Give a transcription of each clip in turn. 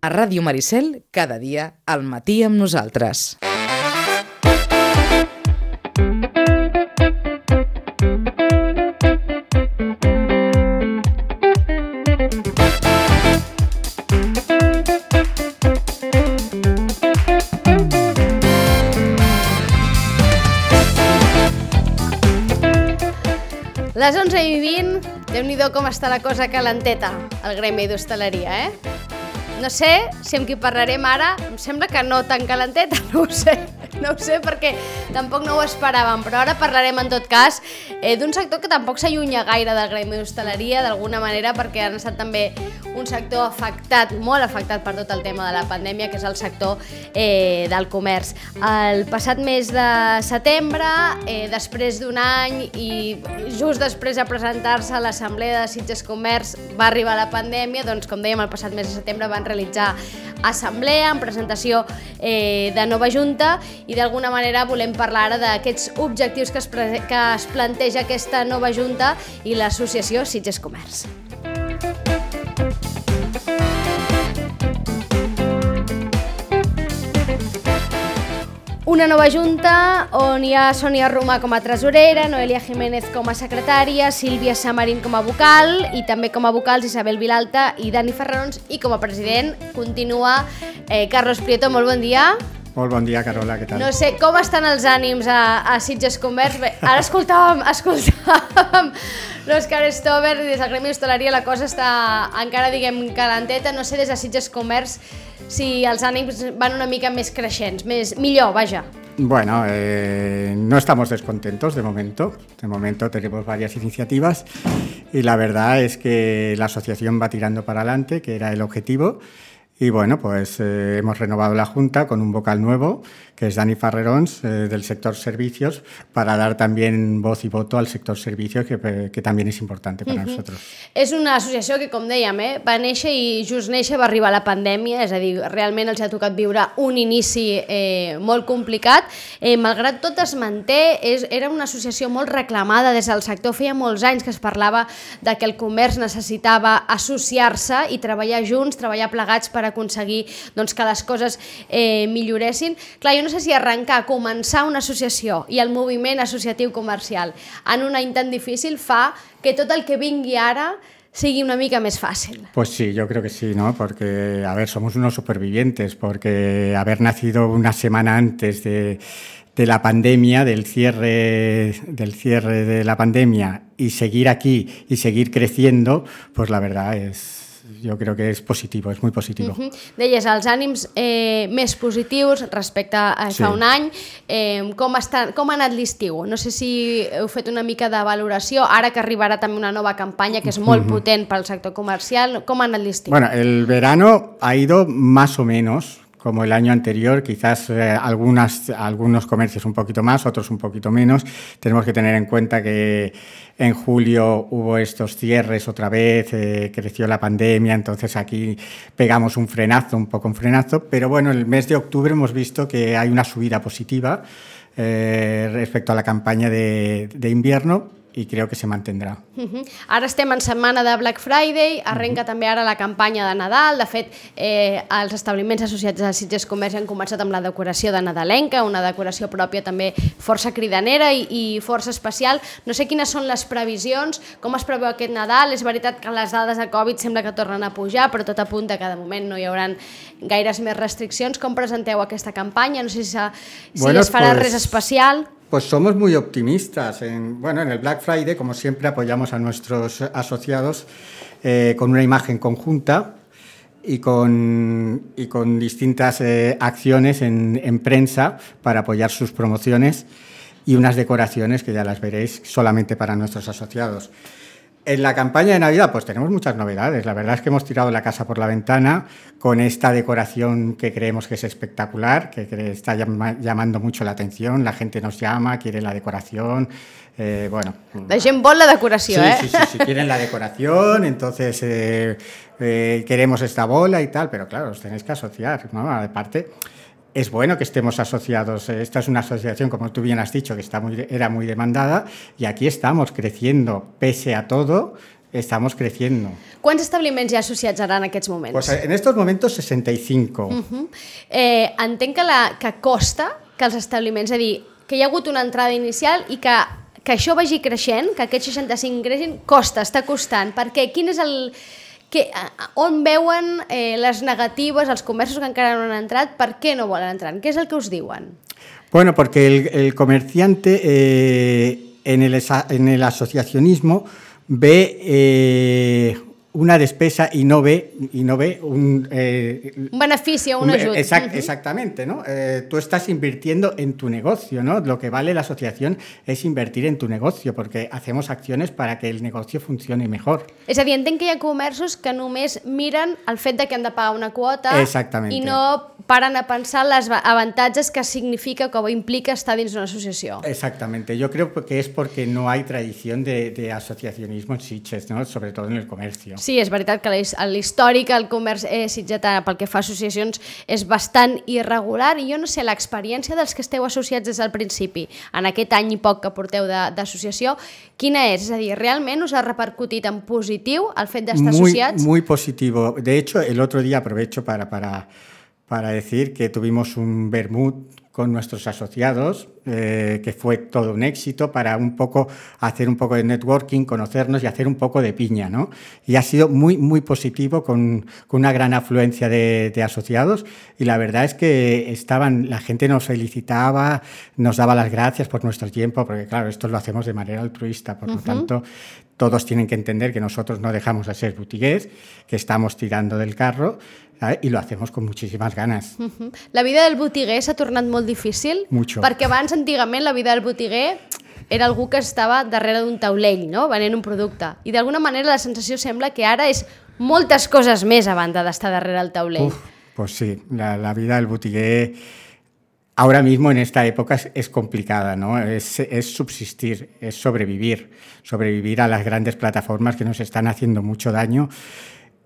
A Ràdio Maricel, cada dia al matí amb nosaltres. Les 11:20, Déu-n'hi-do com està la cosa calenteta al gremi d'hostaleria, No sé si amb qui parlarem ara, em sembla que no tan calenteta, no ho sé perquè tampoc no ho esperàvem, però ara parlarem en tot cas d'un sector que tampoc s'allunya gaire del gremi d'hostaleria d'alguna manera, perquè han estat també un sector afectat, molt afectat per tot el tema de la pandèmia, que és el sector del comerç. El passat mes de setembre, després d'un any i just després de presentar-se a l'Assemblea de Sitges Comerç va arribar la pandèmia, doncs com dèiem el passat mes de setembre van realitzar assemblea en presentació de nova junta i d'alguna manera volem parlar ara d'aquests objectius que es planteja aquesta nova junta i l'associació Sitges Comerç. Una nova junta on hi ha Sònia Romà com a tresorera, Noelia Jiménez com a secretària, Sílvia Samarín com a vocal i també com a vocals Isabel Vilalta i Dani Ferrarons, i com a president continua Carlos Prieto. Molt bon dia. Molt bon dia, Carola, què tal? No sé, com estan els ànims a Sitges Comerç? Bé, ara escoltàvem l'Òscar Stover i des del gremi d'hostaleria la cosa està encara, diguem, calenteta. No sé, des de Sitges Comerç, si els ànims van una mica més creixents, millor, vaja. Bueno, no estamos descontentos de momento. De momento tenemos varias iniciativas y la verdad es que la asociación va tirando para adelante, que era el objetivo. Y bueno, pues hemos renovado la Junta con un vocal nuevo, que es Dani Ferrarons, del sector servicios, para dar también voz y voto al sector servicios, que también es importante para nosotros. És una associació que, com dèiem, va néixer i just néixer va arribar la pandèmia, és a dir, realment els ha tocat viure un inici molt complicat. Malgrat tot es manté, era una associació molt reclamada des del sector, feia molts anys que es parlava de que el comerç necessitava associar-se i treballar junts, treballar plegats per aconseguir que les coses milloressin. Clar, jo no sé si arrencar, començar una associació i el moviment associatiu comercial en un any tan difícil fa que tot el que vingui ara sigui una mica més fàcil. Pues sí, yo creo que sí, ¿no? Porque, a ver, somos unos supervivientes, porque haber nacido una semana antes de la pandemia, del cierre de la pandemia, y seguir aquí y seguir creciendo, pues la verdad jo crec que és positiu, és molt positiu. Deies, els ànims més positius respecte a fa un any. Com ha anat l'estiu? No sé si heu fet una mica de valoració, ara que arribarà també una nova campanya que és molt potent pel sector comercial. Com ha anat l'estiu? Bueno, el verano ha ido más o menos como el año anterior, quizás algunos comercios un poquito más, otros un poquito menos. Tenemos que tener en cuenta que en julio hubo estos cierres otra vez, creció la pandemia, entonces aquí pegamos un poco un frenazo, pero bueno, el mes de octubre hemos visto que hay una subida positiva respecto a la campaña de invierno, i crec que se mantendrà. Ara estem en setmana de Black Friday, arrenca també ara la campanya de Nadal. De fet, els establiments associats a Sitges Comerç han començat amb la decoració de nadalenca, una decoració pròpia també força cridanera i força especial. No sé quines són les previsions, com es preveu aquest Nadal. És veritat que les dades de Covid sembla que tornen a pujar, però tot apunta que de moment no hi haurà gaires més restriccions. Com presenteu aquesta campanya? No sé si es farà res especial. Pues somos muy optimistas. En el Black Friday, como siempre, apoyamos a nuestros asociados con una imagen conjunta y con distintas acciones en prensa para apoyar sus promociones y unas decoraciones que ya las veréis solamente para nuestros asociados. En la campaña de Navidad pues tenemos muchas novedades. La verdad es que hemos tirado la casa por la ventana con esta decoración que creemos que es espectacular, que está llamando mucho la atención. La gente nos llama, quiere la decoración. La gent vol la decoració, Sí, quieren la decoración, entonces queremos esta bola y tal, pero claro, os tenéis que asociar, ¿no? Aparte, es bueno que estemos asociados. Esta es una asociación, como tú bien has dicho, que era muy demandada, y aquí estamos creciendo pese a todo. estamos creciendo. Quants establiments hi ha associats ara en aquests moments? Pues en estos momentos 65. Entenc que costa que els establiments, és a dir, que hi ha hagut una entrada inicial i que això vagi creixent, que aquests 65 creixin, està costant. Perquè quin és on veuen les negatives, els comerços que encara no han entrat, per què no volen entrar? Què és el que us diuen? Bueno, porque el comerciante en el asociacionismo ve una despesa y no ve un beneficio, un ayuda. Exactamente, ¿no? Tú estás invirtiendo en tu negocio, ¿no? Lo que vale la asociación es invertir en tu negocio, porque hacemos acciones para que el negocio funcione mejor. És a dir, entenc que hi ha comerços que només miren el fet de que han de pagar una quota i no paren a pensar els avantatges que significa o implica estar dins d'una associació. Exactamente. Yo creo que es porque no hay tradición de asociacionismo en Sitges, ¿no? Sobre todo en el comercio. Sí, és veritat que l'històric al comerç sitgetà pel que fa a associacions és bastant irregular i jo no sé, l'experiència dels que esteu associats des del principi, en aquest any i poc que porteu d'associació, quina és? És a dir, realment us ha repercutit en positiu el fet d'estar associats? Muy positivo. De hecho, el otro día aprovecho para decir que tuvimos un vermut con nuestros asociados, que fue todo un éxito para hacer un poco de networking, conocernos y hacer un poco de piña, ¿no? Y ha sido muy positivo con una gran afluencia de asociados y la verdad es que la gente nos felicitaba, nos daba las gracias por nuestro tiempo, porque claro, esto lo hacemos de manera altruista, por lo tanto, todos tienen que entender que nosotros no dejamos de ser botiguers, que estamos tirando del carro, ¿sabes? Y lo hacemos con muchísimas ganas. La vida del botiguer s'ha tornat molt difícil? Mucho. Perquè abans, antigament, la vida del botiguer era algú que estava darrere d'un taulell, no? Venent un producte. I d'alguna manera la sensació sembla que ara és moltes coses més a banda d'estar darrere el taulell. Pues sí, la vida del botiguer ahora mismo en esta época es complicada, ¿no? Es subsistir, es sobrevivir a las grandes plataformas que nos están haciendo mucho daño.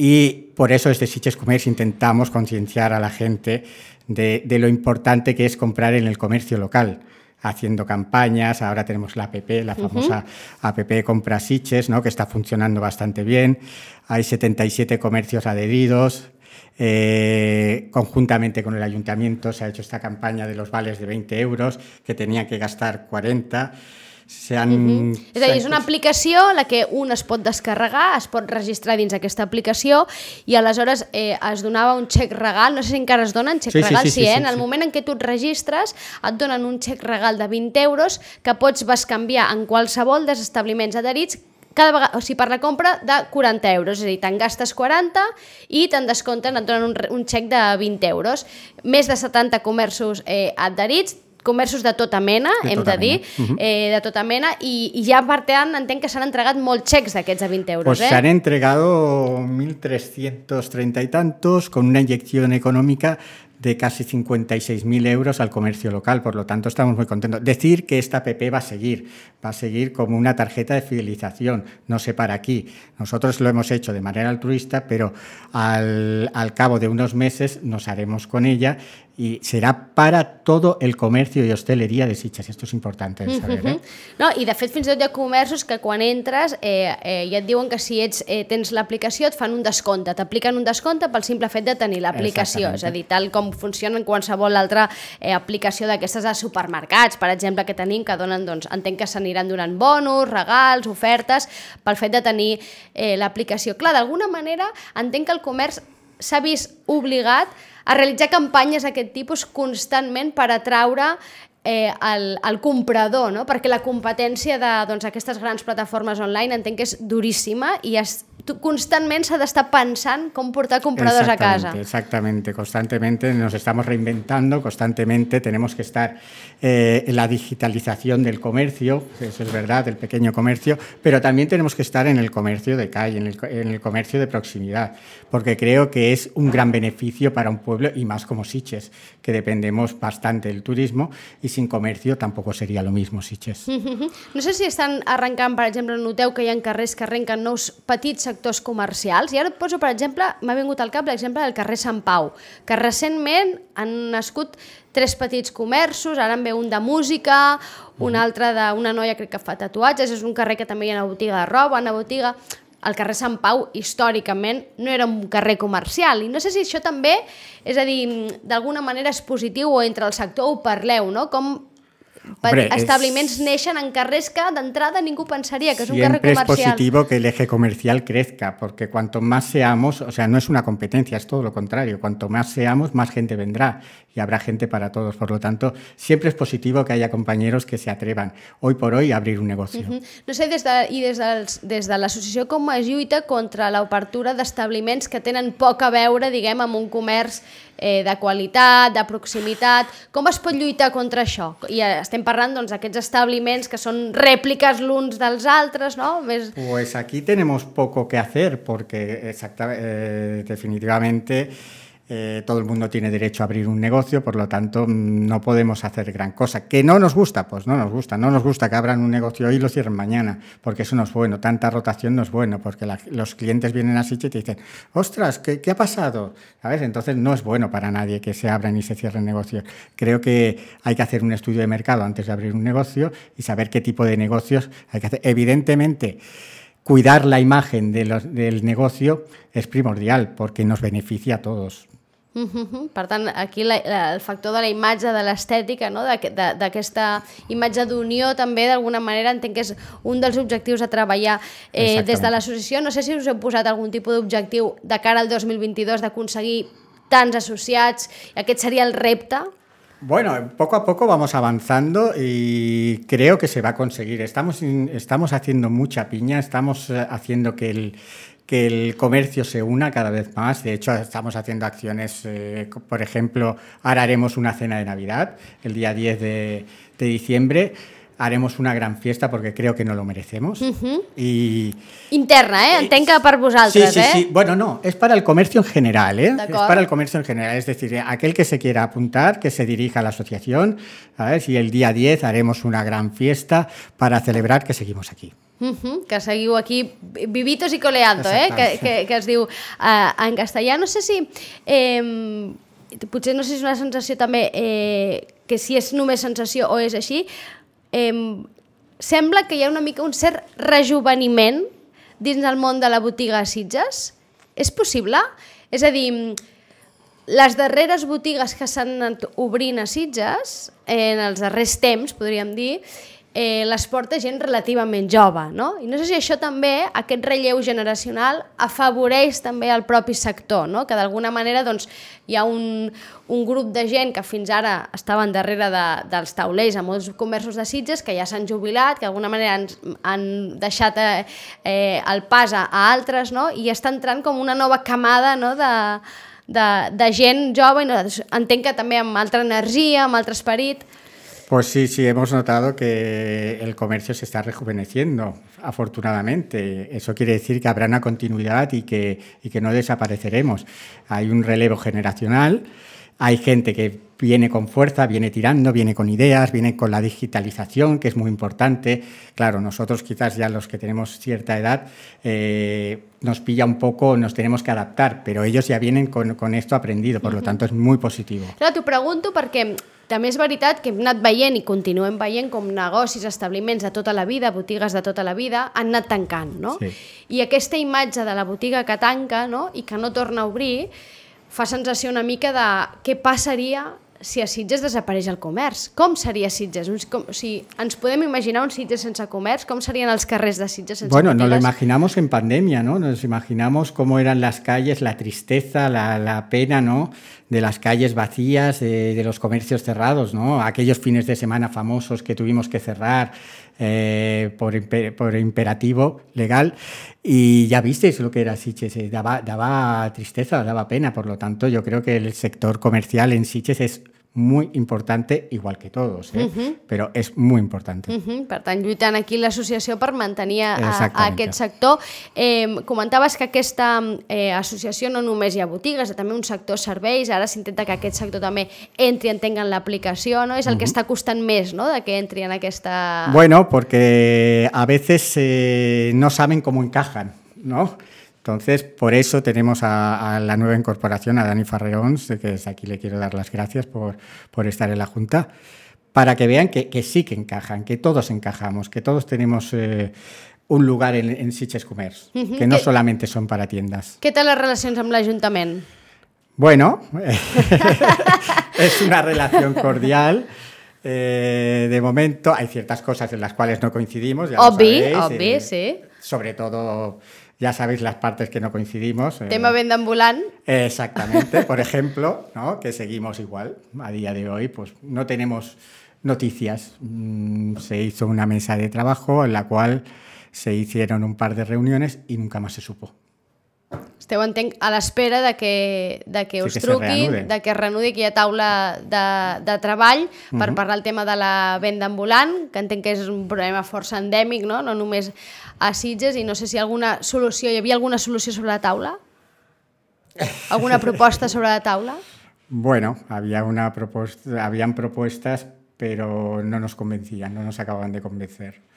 Y por eso desde Sitges Comerç intentamos concienciar a la gente de lo importante que es comprar en el comercio local, haciendo campañas. Ahora tenemos la app, la famosa app Compra Sitges, ¿no? Que está funcionando bastante bien. Hay 77 comercios adheridos. Conjuntamente con el ayuntamiento se ha hecho esta campaña de los vales de 20 euros, que tenían que gastar 40. És a dir, és una aplicació la que un es pot descarregar, es pot registrar dins aquesta aplicació i aleshores es donava un xec regal, no sé si encara es donen xec regal, sí, en el moment en què tu et registres et donen un xec regal de 20 euros que pots bescanviar en qualsevol dels establiments adherits cada vegada, o sigui, per la compra de 40 euros, és a dir, te'n gastes 40 i te'n descompten, et donen un xec de 20 euros. Més de 70 comerços adherits, comerços de tota mena, hem de dir, de tota mena, i ja per tant entenc que s'han entregat molts xecs d'aquests de 20 euros. Pues se han entregado 1.330 y tantos con una inyección económica de casi 56.000 euros al comercio local, por lo tanto estamos muy contentos. Decir que esta app va a seguir como una tarjeta de fidelización, no se para aquí. Nosotros lo hemos hecho de manera altruista, pero al cabo de unos meses nos haremos con ella y serà para todo el comercio i hosteleria de Sitges. Esto es importante de saber. No, i de fet fins i tot hi ha comerços que quan entres ja et diuen que si tens l'aplicació et fan un descompte, t'apliquen un descompte pel simple fet de tenir l'aplicació, és a dir, tal com funciona en qualsevol altra aplicació d'aquestes de supermercats, per exemple, que tenim, que donen, doncs, entenc que s'aniran donant bonus, regals, ofertes, pel fet de tenir l'aplicació. Clar, d'alguna manera entenc que el comerç s'ha vist obligat a realitzar campanyes d'aquest tipus constantment per atraure el comprador, no? Perquè la competència d'aquestes grans plataformes online entenc que és duríssima i constantment s'ha d'estar pensant com portar compradors a casa. Exactamente, constantemente nos estamos reinventando, constantemente tenemos que estar en la digitalización del comercio, eso es verdad, del pequeño comercio, pero también tenemos que estar en el comercio de calle, en el comercio de proximidad, porque creo que es un gran beneficio para un pueblo y más como Sitges, que dependemos bastante del turismo y sin comercio tampoco sería lo mismo Sitges. No sé si estan arrencant, per exemple, noteu que hi ha carrers que arrenquen nous petits sectors comercials, i ara et poso, per exemple, m'ha vingut al cap l'exemple del carrer Sant Pau, que recentment han nascut 3 petits comerços, ara en ve un de música, un altre d'una noia crec que fa tatuatges, és un carrer que també hi ha una botiga de roba, una botiga... el carrer Sant Pau, històricament, no era un carrer comercial. I no sé si això també, és a dir, d'alguna manera és positiu o entre el sector ho parleu, no? Com establiments neixen en carrers que d'entrada ningú pensaría que es un carrer comercial. Siempre es positivo que el eje comercial crezca, porque cuanto más seamos, o sea, no es una competencia, es todo lo contrario, cuanto más seamos, más gente vendrá y habrá gente para todos. Por lo tanto, siempre es positivo que haya compañeros que se atrevan hoy por hoy a abrir un negocio. No sé, des de l'associació com es lluita contra l'obertura d'establiments que tenen poc a veure, diguem, amb un comerç de qualitat, de proximitat. Com es pot lluitar contra això? I estem parlant d'aquests establiments que són rèpliques l'uns dels altres, no? Pues aquí tenemos poco que hacer porque definitivamente todo el mundo tiene derecho a abrir un negocio, por lo tanto no podemos hacer gran cosa. ¿Que no nos gusta? Pues no nos gusta. No nos gusta que abran un negocio hoy y lo cierren mañana, porque eso no es bueno. Tanta rotación no es bueno, porque los clientes vienen así y te dicen, ostras, ¿qué ha pasado? ¿Sabes? Entonces no es bueno para nadie que se abran y se cierren negocios. Creo que hay que hacer un estudio de mercado antes de abrir un negocio y saber qué tipo de negocios hay que hacer. Evidentemente, cuidar la imagen del negocio es primordial porque nos beneficia a todos. Per tant, aquí el factor de la imatge, de l'estètica, no? D'aquesta imatge d'unió també, d'alguna manera, entenc que és un dels objectius a treballar des de l'associació. No sé si us heu posat algun tipus d'objectiu de cara al 2022 d'aconseguir tants associats, i aquest seria el repte. Bueno, poco a poco vamos avanzando y creo que se va a conseguir. Estamos haciendo mucha piña, estamos haciendo que el comercio se una cada vez más. De hecho, estamos haciendo acciones, por ejemplo, ahora haremos una cena de Navidad, el día 10 de diciembre, haremos una gran fiesta porque creo que no lo merecemos. Interna, entenc que per vosaltres, Sí. Bueno, no, es para el comercio en general, Es para el comercio en general, es decir, aquel que se quiera apuntar, que se dirija a la asociación, ¿sabes? Y el día 10 haremos una gran fiesta para celebrar que seguimos aquí. Que seguiu aquí vivitos y coleando, que es diu en castellà. No sé si potser no sé si és una sensació també que si és només sensació o és així, sembla que hi ha una mica un cert rejuveniment dins del món de la botiga a Sitges. És possible? És a dir, les darreres botigues que s'han anat obrint a Sitges en els darrers temps, podríem dir, les porta gent relativament jove, no? I no sé si això també, aquest relleu generacional, afavoreix també el propi sector, no? Que d'alguna manera doncs, hi ha un grup de gent que fins ara estaven darrere dels taulers a molts comerços de Sitges, que ja s'han jubilat, que d'alguna manera han deixat el pas a altres, no? I està entrant com una nova camada, no? de gent jove, i entenc que també amb altra energia, amb altre esperit. Pues sí, hemos notado que el comercio se está rejuveneciendo, afortunadamente. Eso quiere decir que habrá una continuidad y que no desapareceremos. Hay un relevo generacional, hay gente que viene con fuerza, viene tirando, viene con ideas, viene con la digitalización, que es muy importante. Claro, nosotros quizás ya los que tenemos cierta edad nos pilla un poco, nos tenemos que adaptar, pero ellos ya vienen con esto aprendido, por lo tanto es muy positivo. Clar, t'ho pregunto perquè també és veritat que hem anat veient i continuem veient com negocis, establiments de tota la vida, botigues de tota la vida, han anat tancant, no? Sí. I aquesta imatge de la botiga que tanca, no? I que no torna a obrir, fa sensació una mica de què passaria si a Sitges desapareix el comerç. Com seria Sitges? Si ens podem imaginar un Sitges sense comerç, com serien els carrers de Sitges sense botigues? Bueno, nos lo imaginamos en pandemia, ¿no? Nos imaginamos cómo eran las calles, la tristeza, la pena, ¿no? De las calles vacías, de los comercios cerrados, ¿no? Aquellos fines de semana famosos que tuvimos que cerrar por imperativo legal, y ya visteis lo que era Sitges, daba tristeza, daba pena. Por lo tanto, yo creo que el sector comercial en Sitges es muy importante, igual que todos, però és molt important. Per tant, lluitant aquí l'associació per mantenir aquest sector. Comentaves que aquesta associació no només hi ha botigues, també un sector serveis, ara s'intenta que aquest sector també entri, entenga en l'aplicació, no? És el que està costant més, no?, de que entri en aquesta... Bueno, porque a veces no saben cómo encajan, ¿no? Entonces, por eso tenemos a la nueva incorporación, a Dani Farreons, que desde aquí le quiero dar las gracias por estar en la Junta, para que vean que sí que encajan, que todos encajamos, que todos tenemos un lugar en Sitges Comerç, que no solamente son para tiendas. Què té les relacions amb l'Ajuntament? Bueno, es una relación cordial. De momento hay ciertas cosas en las cuales no coincidimos. Ya Obvi, sí. Sobre todo, ya sabéis las partes que no coincidimos. Tema venda ambulant. Exactamente. Por ejemplo, ¿no? Que seguimos igual. A día de hoy, pues no tenemos noticias. Se hizo una mesa de trabajo en la cual se hicieron un par de reuniones y nunca más se supo. Esteu, entenc, a l'espera de que us truquin, de que es reanudi, que hi ha taula de treball per parlar el tema de la venda ambulant, que entenc que és un problema força endèmic, no només a Sitges, i no sé si hi havia alguna solució sobre la taula? ¿Alguna propuesta sobre la taula? Bueno, habían propuestas, pero no nos convencían, no nos acababan de convencer.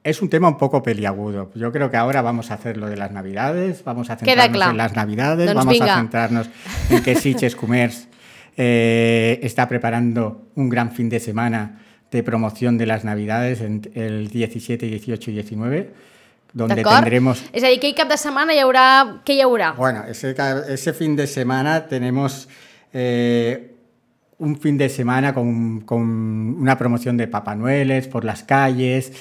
Es un tema un poco peliagudo. Yo creo que ahora vamos a hacer lo de las Navidades, vamos a centrarnos en las Navidades, vamos a centrarnos en que Sitges Comerç está preparando un gran fin de semana de promoción de las Navidades el 17, 18 y 19, donde tendremos... És a dir, aquell cap de setmana què hi haurà? Bueno, ese fin de semana tenemos un fin de semana con una promoción de Papá Noeles por las calles,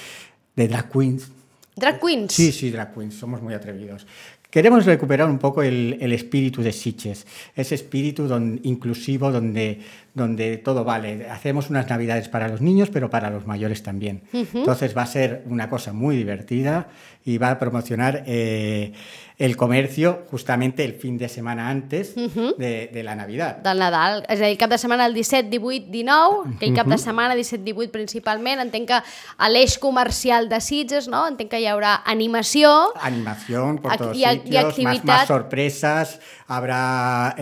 de drag queens. ¿Drag queens? Sí, drag queens, somos muy atrevidos. Queremos recuperar un poco el espíritu de Sitges, ese espíritu inclusivo donde todo vale. Hacemos unas Navidades para los niños, pero para los mayores también. Entonces va a ser una cosa muy divertida y va a promocionar el comercio justamente el fin de semana antes de la Navidad. Del Nadal. És a dir, cap de setmana el 17, 18, 19, aquell cap de setmana 17, 18 principalment. Entenc que a l'eix comercial de Sitges, no? Entenc que hi haurà animació. Animación por todos sitios, más sorpresas, habrá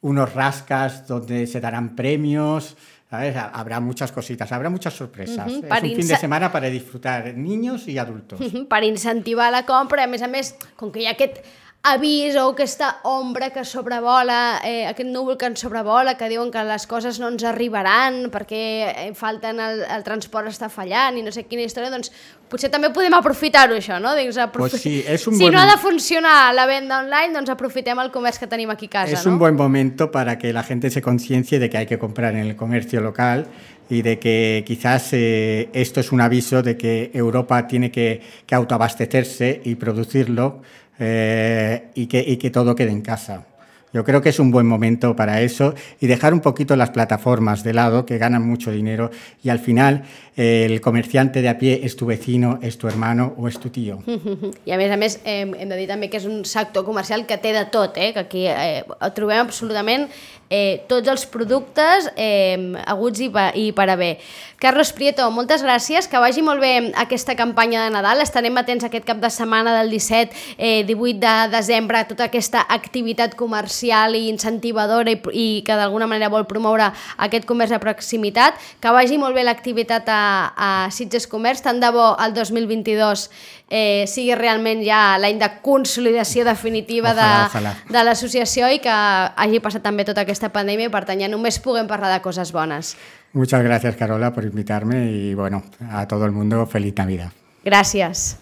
unos rascas donde se darán premios, ¿sabes? Habrá muchas cositas, habrá muchas sorpresas. Es un fin de semana para disfrutar niños y adultos. Per incentivar la compra, a més, com que hi ha aquest avís o aquesta ombra que sobrevola, aquest núvol que ens sobrevola, que diuen que les coses no ens arribaran perquè falten, el transport està fallant i no sé quina història, doncs potser també podem aprofitar-ho, això, no? Pues sí, si no ha de funcionar la venda online, doncs aprofitem el comerç que tenim aquí a casa, Es un buen momento para que la gente se conciencie de que hay que comprar en el comercio local y de que quizás esto es un aviso de que Europa tiene que autoabastecerse y producirlo y que todo quede en casa. Yo creo que es un buen momento para eso y dejar un poquito las plataformas de lado, que ganan mucho dinero, y al final el comerciante de a pie es tu vecino, es tu hermano o es tu tío. I a més, hem de dir també que és un sector comercial que té de tot, que aquí trobem absolutament tots els productes aguts i per haver. Carlos Prieto, moltes gràcies, que vagi molt bé aquesta campanya de Nadal. Estarem atents aquest cap de setmana del 17, 18 de desembre a tota aquesta activitat comercial i incentivadora i que d'alguna manera vol promoure aquest comerç de proximitat. Que vagi molt bé l'activitat a Sitges Comerç, tant de bo el 2022 sigui realment ja l'any de consolidació definitiva de l'associació i que hagi passat també tota aquesta pandèmia i per tant ja només puguem parlar de coses bones. Muchas gracias, Carola, por invitarme y bueno, a todo el mundo, feliz Navidad. Gràcies.